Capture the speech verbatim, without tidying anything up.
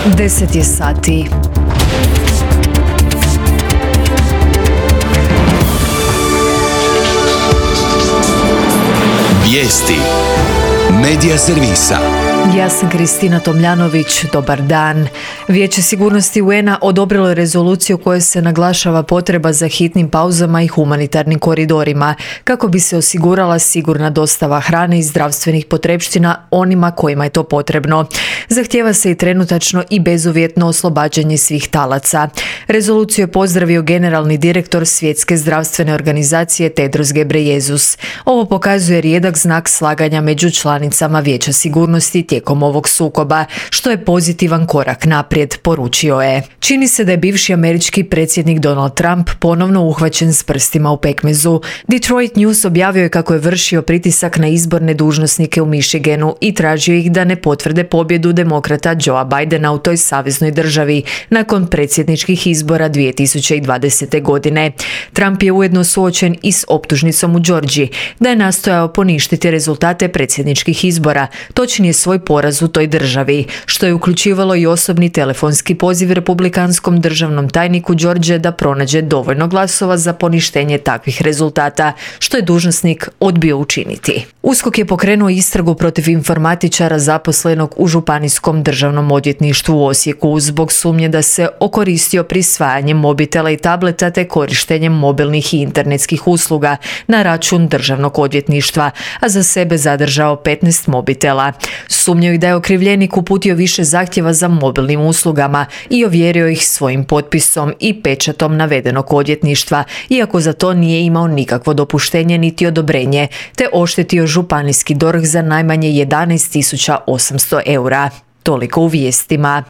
deset je sati. Vijesti Medija servisa. Ja sam Kristina Tomljanović, dobar dan. Vijeće sigurnosti U N A odobrilo je rezoluciju u kojoj se naglašava potreba za hitnim pauzama i humanitarnim koridorima, kako bi se osigurala sigurna dostava hrane i zdravstvenih potrepština onima kojima je to potrebno. Zahtijeva se i trenutačno i bezuvjetno oslobađanje svih talaca. Rezoluciju je pozdravio generalni direktor Svjetske zdravstvene organizacije Tedros Ghebreyesus. Ovo pokazuje rijedak znak slaganja među članicama Vijeća sigurnosti tijekom ovog sukoba, što je pozitivan korak naprijed, poručio je. Čini se da je bivši američki predsjednik Donald Trump ponovno uhvaćen s prstima u pekmezu. Detroit News objavio je kako je vršio pritisak na izborne dužnosnike u Michiganu i tražio ih da ne potvrde pobjedu demokrata Joea Bidena u toj saveznoj državi nakon predsjedničkih izbora dvije tisuće dvadesete. godine. Trump je ujedno suočen i s optužnicom u Georgiji da je nastojao poništiti rezultate predsjedničkih izbora, točnije svoj poraz u toj državi, što je uključivalo i osobni telefonski poziv republikanskom državnom tajniku Georgije da pronađe dovoljno glasova za poništenje takvih rezultata, što je dužnosnik odbio učiniti. USKOK je pokrenuo istragu protiv informatičara zaposlenog u Županijskom državnom odvjetništvu u Osijeku zbog sumnje da se okoristio prisvajanjem mobitela i tableta te korištenjem mobilnih i internetskih usluga na račun državnog odvjetništva, a za sebe zadržao petnaest mobitela. Sumnjaju da je okrivljenik uputio više zahtjeva za mobilnim uslugama i ovjerio ih svojim potpisom i pečatom navedenog odvjetništva, iako za to nije imao nikakvo dopuštenje niti odobrenje, te oštetio županijski D O R H za najmanje jedanaest tisuća osamsto eura. Toliko u vijestima.